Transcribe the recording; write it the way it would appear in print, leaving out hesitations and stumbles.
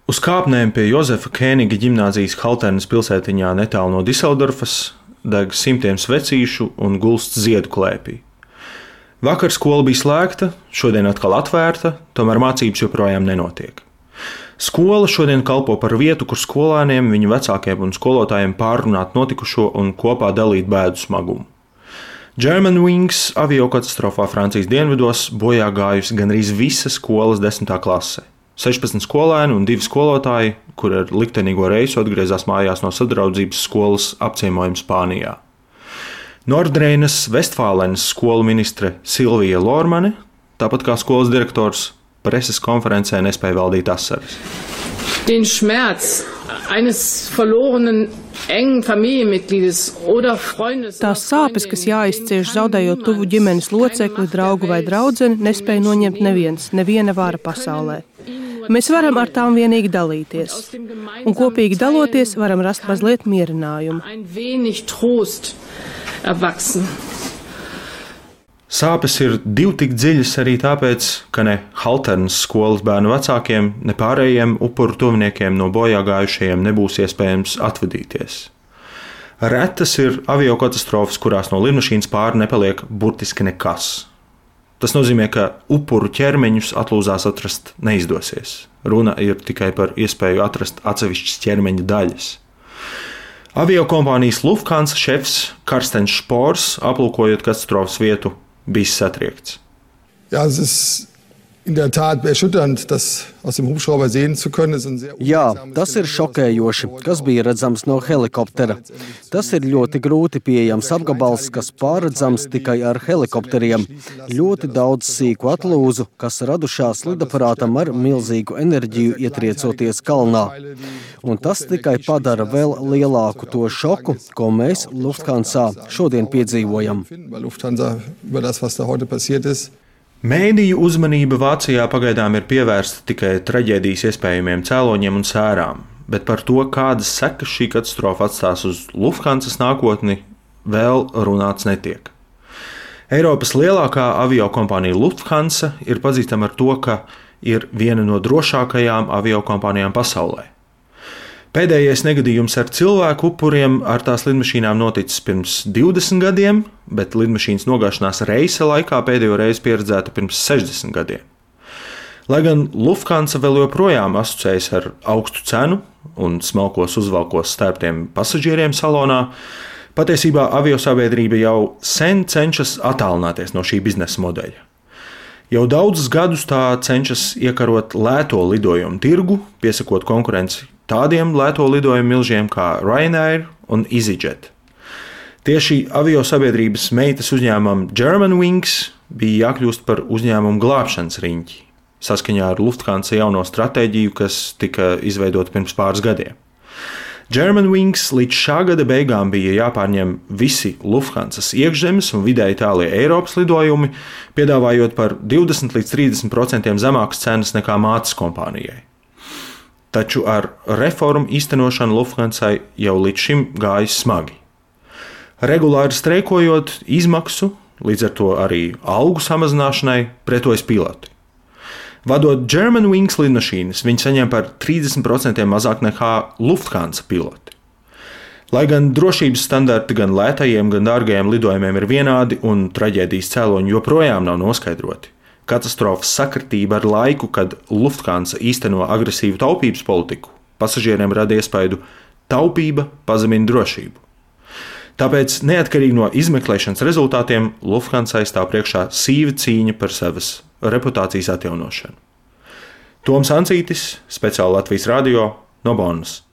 Uz kāpnēm pie Jozefa Kēniga ģimnāzijas Halternes pilsētiņā netālu no Diseldorfas deg simtiem svecīšu un gulst ziedu klēpī. Vakar skola bija slēgta, šodien atkal atvērta, tomēr mācības joprojām nenotiek. Skola šodien kalpo par vietu, kur skolēniem, viņu vecākiem un skolotājiem pārrunāt notikušo un kopā dalīt bēdu smagumu. Germanwings aviokatastrofā Francijas dienvidos bojā gājusi gandrīz visa skolas 10. klase. 16 skolēni un 2 skolotāji, kur ar liktenīgo reisu atgriezās mājās no sadraudzības skolas apciemojuma Spānijā. Nordreinas Vestfālenes skolu ministre Silvija Lormane, tāpat kā skolas direktors, preses konferencē nespēja valdīt asaras. Den Schmerz eines verlorenen engen Familienmitgliedes oder Freundes. Tās sāpes, kas jāizcieš zaudējot tuvu ģimenes locekli, draugu vai draudzeni, nespēja noņemt neviena vara pasaulē. Mēs varam ar tām vienīgi dalīties, un kopīgi daloties varam rast mazliet mierinājumu. Sāpes ir divi tik dziļas arī tāpēc, ka ne Halternes skolas bērnu vecākiem, ne pārējiem upuru tuviniekiem no bojā gājušajiem nebūs iespējams atvadīties. Retas ir aviokatastrofas, kurās no lidmašīnas pāri nepaliek burtiski nekas. Tas nozīmē, ka upuru ķermeņus atlūzās atrast neizdosies. Runa ir tikai par iespēju atrast atsevišķas ķermeņa daļas. Aviokompānijas Lufthansa šefs Karstens Špors, aplūkojot katastrofas vietu, bija satriekts. Ja, es ist in der Tat erschütternd, das aus dem Hubschrauber sehen zu können. Jā, tas ir šokējoši, kas bija redzams no helikoptera. Tas ir ļoti grūti pieejams apgabals, kas pārredzams tikai ar helikopteriem. Ļoti daudz sīku atlūzu, kas radušās lidaparātam ar milzīgu enerģiju ietriecoties kalnā. Un tas tikai padara vēl lielāku to šoku, ko mēs Lufthansa šodien piedzīvojam. Mēdīju uzmanība Vācijā pagaidām ir pievērsta tikai traģēdijas iespējamiem cēloņiem un sērām, bet par to, kādas sekas šī katastrofa atstās uz Lufthansas nākotni, vēl runāts netiek. Eiropas lielākā aviokompānija Lufthansa ir pazīstama ar to, ka ir viena no drošākajām aviokompānijām pasaulē. Pēdējais negadījums ar cilvēku upuriem ar tās lidmašīnām noticis pirms 20 gadiem, bet lidmašīnas nogāšanās reisa laikā pēdējo reizi pieredzēta pirms 60 gadiem. Lai gan Lufthansa vēl joprojām asociējas ar augstu cenu un smalkos uzvalkos stērptiem pasažieriem salonā, patiesībā aviosabiedrība jau sen cenšas attālināties no šī biznesa modeļa. Jau daudzus gadus tā cenšas iekarot lēto lidojumu tirgu, piesakot konkurenci tādiem lēto lidojumu milžiem kā Ryanair un EasyJet. Tieši aviosabiedrības meitas uzņēmumam Germanwings bija jākļūst par uzņēmumu glābšanas riņķi, saskaņā ar Lufthansa jauno stratēģiju, kas tika izveidota pirms pāris gadiem. Germanwings līdz šā gada beigām bija jāpārņem visi Lufthansas iekšzemes un vidēji tālie Eiropas lidojumi, piedāvājot par 20 līdz 30% zemākas cenas nekā mātes kompānijai. Taču ar reformu īstenošanu Lufthansai jau līdz šim gājis smagi. Regulāri streikojot izmaksu, līdz ar to arī algu samazināšanai, pretojas piloti. Vadot Germanwings lidmašīnas, viņi saņem par 30% mazāk nekā Lufthansa piloti. Lai gan drošības standarti gan lētajiem, gan dārgajiem lidojumiem ir vienādi un traģēdijas cēloņi joprojām nav noskaidroti, katastrofas sakritība ar laiku, kad Lufthansa īsteno agresīvu taupības politiku, pasažieriem rada iespaidu taupība pazemina drošību. Tāpēc, neatkarīgi no izmeklēšanas rezultātiem, Lufthansai stāv priekšā sīva cīņa par savas reputācijas atjaunošanu. Toms Ancītis, speciāli Latvijas radio no Bonnas.